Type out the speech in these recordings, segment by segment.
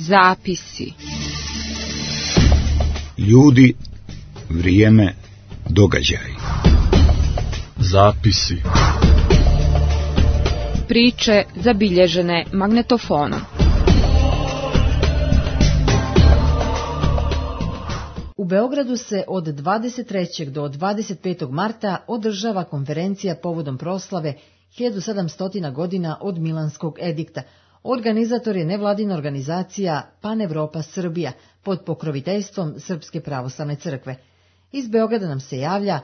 Zapisi. Ljudi, vrijeme, događaji. Zapisi. Priče zabilježene magnetofonom. U Beogradu se od 23. do 25. marta održava konferencija povodom proslave 1700 godina od Milanskog edikta. Organizator je nevladina organizacija Panevropa Srbija pod pokroviteljstvom Srpske pravoslavne crkve. Iz Beograda nam se javlja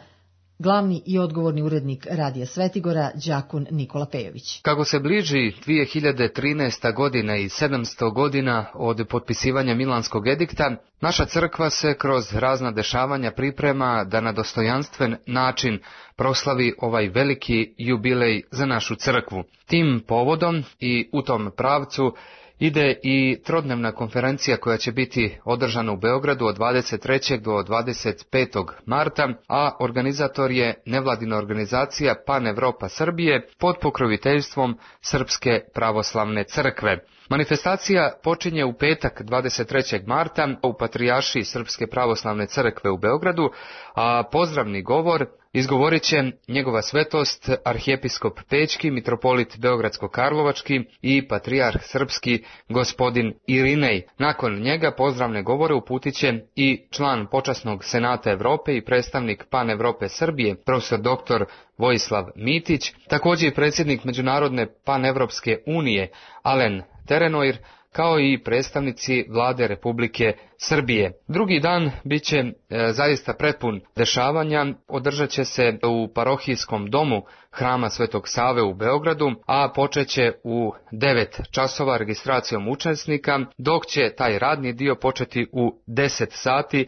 glavni i odgovorni urednik Radija Svetigora, đakon Nikola Pejović. Kako se bliži 2013. godina i 700 godina od potpisivanja Milanskog edikta, naša crkva se kroz razna dešavanja priprema da na dostojanstven način proslavi ovaj veliki jubilej za našu crkvu. Tim povodom i u tom pravcu ide i trodnevna konferencija koja će biti održana u Beogradu od 23. do 25. marta, a organizator je nevladina organizacija Panevropa Srbije pod pokroviteljstvom Srpske pravoslavne crkve. Manifestacija počinje u petak 23. marta u Patrijaršiji Srpske pravoslavne crkve u Beogradu, a pozdravni govor izgovorit će njegova svetost arhijepiskop Pećki, mitropolit Beogradsko-Karlovački i patrijarh srpski gospodin Irinej. Nakon njega pozdravne govore uputit će i član počasnog senata Evrope i predstavnik Panevrope Srbije, profesor dr. Vojislav Mitić, također i predsjednik Međunarodne panevropske unije Alen Terenoir, kao i predstavnici vlade Republike Srbije. Drugi dan bit će zaista prepun dešavanja, održat će se u parohijskom domu Hrama Svetog Save u Beogradu, a počet će u 9 časova registracijom učesnika, dok će taj radni dio početi u 10 sati,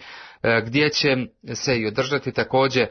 gdje će se i održati također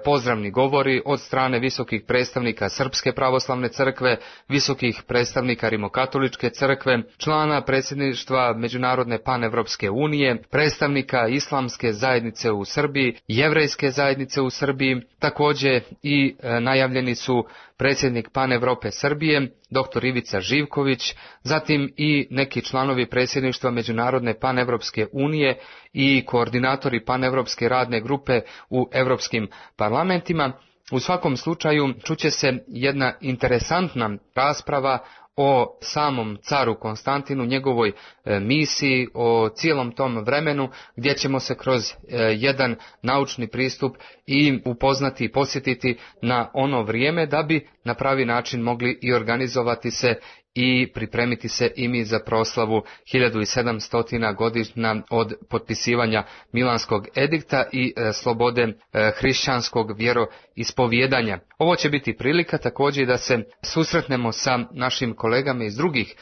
pozdravni govori od strane visokih predstavnika Srpske pravoslavne crkve, visokih predstavnika Rimokatoličke crkve, člana predsjedništva Međunarodne panevropske unije, predstavnika Islamske zajednice u Srbiji, Jevrejske zajednice u Srbiji, također i najavljeni su predsjednik Panevrope Srbije, dr. Ivica Živković, zatim i neki članovi predsjedništva Međunarodne panevropske unije i koordinatori panevropske radne grupe u europskim parlamentima. U svakom slučaju čuće se jedna interesantna rasprava o samom caru Konstantinu, njegovoj misiji, o cijelom tom vremenu gdje ćemo se kroz jedan naučni pristup i upoznati i posjetiti na ono vrijeme da bi na pravi način mogli i organizovati se i pripremiti se i mi za proslavu 1700 godina od potpisivanja Milanskog edikta i slobode hrišćanskog vjeroispovijedanja. Ovo će biti prilika također da se susretnemo sa našim kolegama iz drugih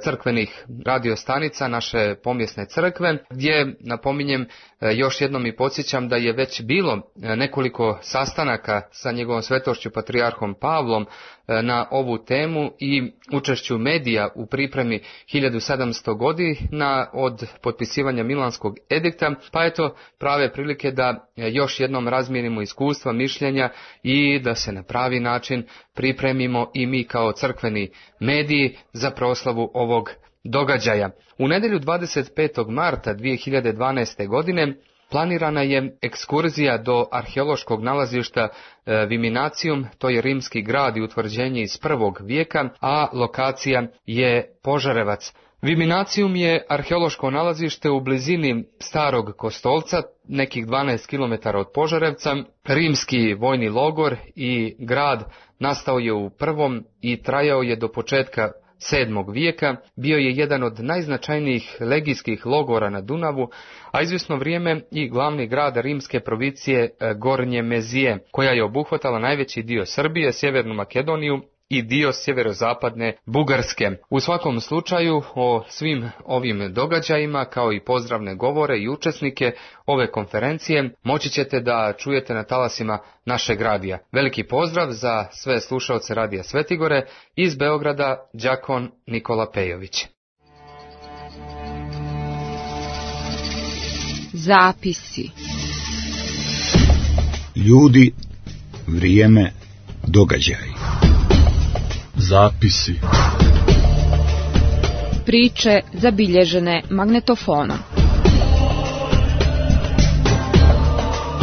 crkvenih radiostanica naše pomjesne crkve, gdje napominjem još jednom i podsjećam da je već bilo nekoliko sastanaka sa njegovom svetošću patrijarhom Pavlom na ovu temu i učešću medija u pripremi 1700 godina od potpisivanja Milanskog edikta, pa eto prave prilike da još jednom razmijenimo iskustva, mišljenja i da se na pravi način pripremimo i mi kao crkveni mediji za proslavu ovog događaja. U nedjelju 25. marta 2012. godine planirana je ekskurzija do arheološkog nalazišta Viminacijum, to je rimski grad i utvrđenje iz 1. vijeka, a lokacija je Požarevac. Viminacijum je arheološko nalazište u blizini Starog Kostolca, nekih 12 km od Požarevca. Rimski vojni logor i grad nastao je u 1. i trajao je do početka 7. vijeka, bio je jedan od najznačajnijih legijskih logora na Dunavu, a izvjesno vrijeme i glavni grad rimske provincije Gornje Mezije, koja je obuhvatala najveći dio Srbije, Sjevernu Makedoniju i dio sjeverozapadne Bugarske. U svakom slučaju o svim ovim događajima kao i pozdravne govore i učesnike ove konferencije moći ćete da čujete na talasima našeg radija. Veliki pozdrav za sve slušaoce Radija Svetigore, iz Beograda đakon Nikola Pejović. Zapisi. Ljudi, vrijeme, događaji. Zapisi. Priče zabilježene magnetofonom.